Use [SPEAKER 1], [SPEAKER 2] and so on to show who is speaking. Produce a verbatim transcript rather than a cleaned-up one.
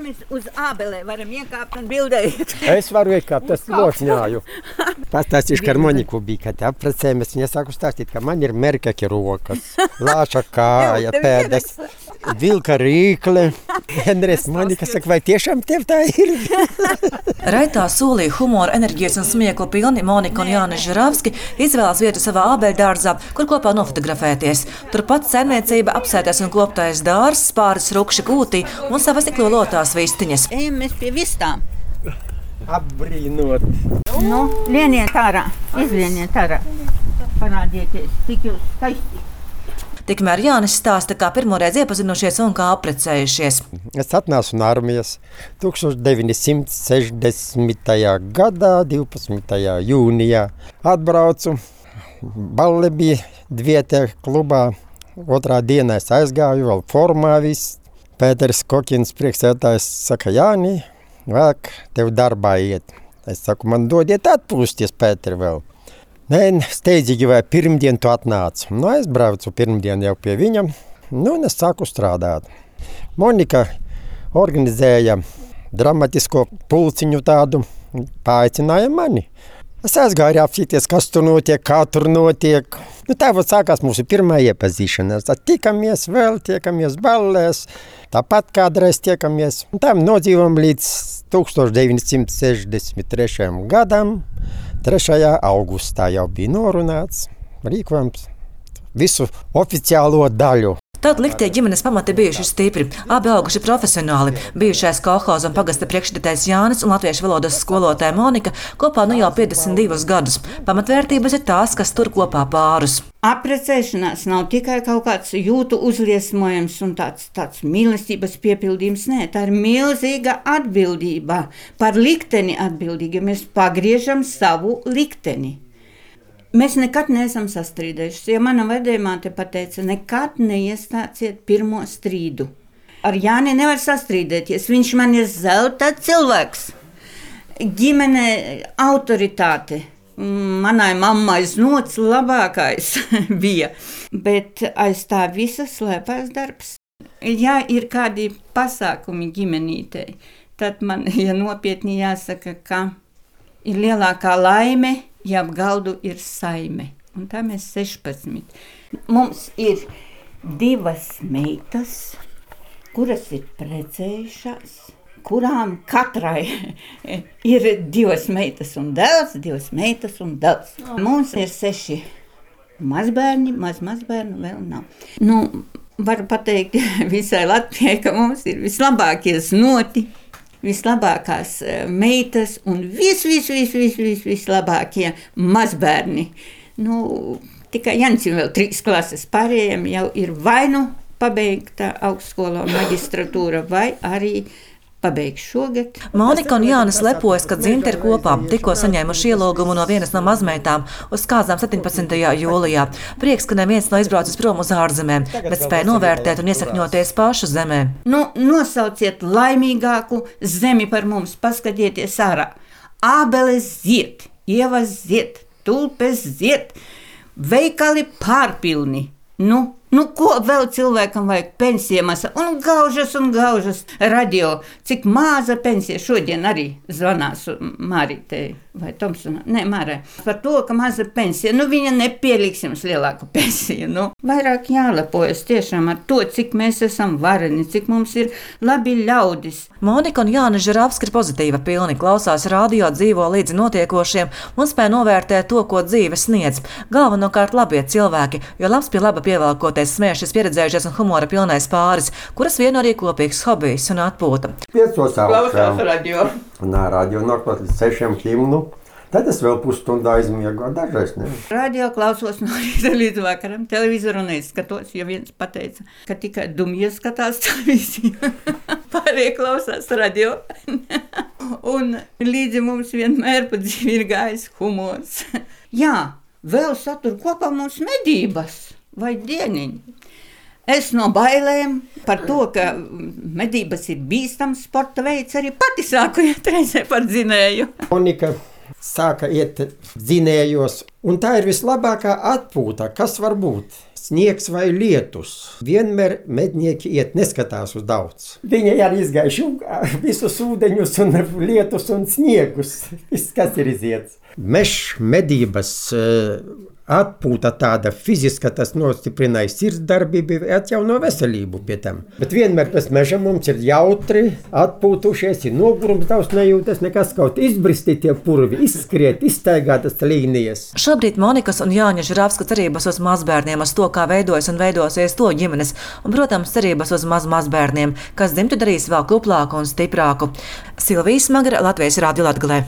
[SPEAKER 1] Jānis uz ābelē varam iekāpt un bildēt.
[SPEAKER 2] Es varu iekāpt, es lošņāju. Pastāstīšu, ka ar Moniku bija, kad apprecējamies. Viņa sāku stāstīt, ka man ir merkaki rokas, lāča kāja, pēdas, vilka rīkle. Vienreiz Monika saka, vai tiešām tev tā ir?
[SPEAKER 3] Raitā solīja humoru, enerģijas un smieklu pilni Monika un Jānis Žuravski izvēlās vietu savā ābeļdārzā, kur kopā nofotografēties. Turpat saimniecība, apsētais un kloptais dārzs, pāris rukši kūtī un savas iklolotās vistiņas.
[SPEAKER 1] Ejam mēs pie vistām.
[SPEAKER 2] Apbrīnot.
[SPEAKER 1] Nu, lieniet ārā, izlieniet ārā. Parādieties, cik jūs skaisti.
[SPEAKER 3] Tikmēr Jānis stāsta, kā pirmoreiz iepazinušies un kā apprecējušies.
[SPEAKER 2] Es atnācu no armijas tūkstoš deviņi simti sešdesmitajā gadā, divpadsmitajā jūnijā. Atbraucu, balle bija dvietē klubā. Otrā dienā es aizgāju, vēl formā viss. Pēters Kokins, priekšsēdētājs, saka, Jāni, vajag tev darbā iet. Es saku, man dodiet atpūsties, Pēteri, vēl. Nē, steidzīgi vai pirmdien tu atnāc. Nu, es braucu pirmdien jau pie viņam, nu, un es sāku strādāt. Monika organizēja dramatisko pulciņu tādu, paaicināja mani. Es aizgāju apsīties, kas tur notiek, kā tur notiek. Nu, tā vēl sākās mūsu pirmā iepazīšanās. Tad tikamies vēl, tiekamies ballēs, tāpat kādreiz tiekamies. Un tam nodzīvom līdz tūkstoš deviņi simti sešdesmit trešajam gadam. trešajā augustā jau bija norunāts, rīkojams visu oficiālo daļu.
[SPEAKER 3] Tad liktie ģimenes pamati bijuši stipri, abi auguši profesionāli. Bijušais kolhoza un pagasta priekšsēdētājs Jānis un latviešu valodas skolotāja Monika kopā nu jau piecdesmit divus gadus. Pamatvērtības ir tās, kas tur kopā pārus.
[SPEAKER 1] Apprecēšanās nav tikai kaut kāds jūtu uzliesmojums un tāds, tāds mīlestības piepildījums. Nē, tā ir milzīga atbildība. Par likteni atbildīgi. Mēs pagriežam savu likteni. Mēs nekad neesam sastrīdējušies. Ja mana vecmāte pateica, nekad neiestāciet pirmo strīdu. Ar Jāni nevar sastrīdēties. Viņš man ir zelta cilvēks. Ģimene autoritāte. Manai mammai znots labākais bija. Bet aiz tā visa slēpās darbs. Ja ir kādi pasākumi ģimenītei, tad man, ja nopietni jāsaka, ka ir lielākā laime, ja ap galdu ir saime. Un tā mēs sešpadsmit. Mums ir divas meitas, kuras ir precējušās, kurām katrai ir divas meitas un dēls, divas meitas un dēls. Mums ir seši mazbērni, maz mazbērnu vēl nav. Nu, varu pateikt visai Latvijai, ka mums ir vislabākie znoti, vislabākās meitas un vis, vis, vis, vis, vis, vislabākie mazbērni. Nu, tikai Jancim vēl trīs klases, pārējiem jau ir vai nu pabeigta augstskola un magistratūra, vai arī pabeigts šogad.
[SPEAKER 3] Monika un Jānis lepojas, ka dzimti ir kopā. Tikko saņēmuši ielūgumu no vienas no mazmeitām uz kāzām septiņpadsmitajā jūlijā. Prieks, ka neviens nav izbraucis prom uz ārzemēm, bet spēja novērtēt un iesakņoties pašu zemē.
[SPEAKER 1] Nu, nosauciet laimīgāku zemi par mums, paskatieties ārā. Ābeles zied, ievas zied, tulpes zied, veikali pārpilni. Nu, Nu, ko vēl cilvēkam vajag? Pensija masa un gaužas un gaužas radio. Cik maza pensija šodien arī zvanās Mārītei vai Tomsonā. Nē, Mārai. Par to, ka maza pensija. Nu, viņa nepieliks jums lielāku pensiju. Nu, vairāk jālepojas tiešām ar to, cik mēs esam vareni, cik mums ir labi ļaudis.
[SPEAKER 3] Monika un Jānis Žuravski ir pozitīva pilni, klausās radio, dzīvo līdzi notiekošiem un spēj novērtēt to, ko dzīve sniedz. Galvenokārt labie cilvēki, jo labs pie laba pievelkoties smēšas pieredzējušies un humora pilnais pāris, kuras vieno arī kopīgs hobijs un atpūta.
[SPEAKER 2] Piecos
[SPEAKER 1] Klausās radio.
[SPEAKER 2] Nā, radio nākot līdz sešiem himnu. Tad es vēl pusstundu aizmiegu, dažreiz ne.
[SPEAKER 1] Radio klausos no rīta līdz vakaram, televizoru neizskatos, jo viens pateica, ka tikai dumji skatās televīziju. Pārējie klausās radio. Un līdzi mums vienmēr pa dzīvi ir gājis humors. Jā, vēl satur kopā mums medības vai dieniņi. Es no bailēm par to, ka medības ir bīstams sporta veids, arī pati sāku iet reizē par dzinēju.
[SPEAKER 2] Monika sāka iet dzinējos Un tā ir vislabākā atpūta, kas var būt. Sniegs vai lietus. Vienmēr mednieki iet neskatās uz daudz. Viņi arī izgājuši visus ūdeņus un lietus un sniegus. Viss, kas ir iziets. Mešs medības atpūta tāda fiziska, tas nostiprināja sirdsdarbību, atjauno veselību pie tam. Bet vienmēr pēc meža mums ir jautri, atpūtušies, ir nogurums daudz nejūtas, nekas kaut izbristi tie purvi, izskriet, izstaigātas līnijas.
[SPEAKER 3] Šobrīd Monikas un Jāņa Žuravska cerības uz mazbērniem, uz to, kā veidojas un veidosies to ģimenes, un, protams, cerības uz maz mazbērniem, kas dzimtu darīs vēl kuplāku un stiprāku. Silvija Smagara, Latvijas Rādio Latgalē.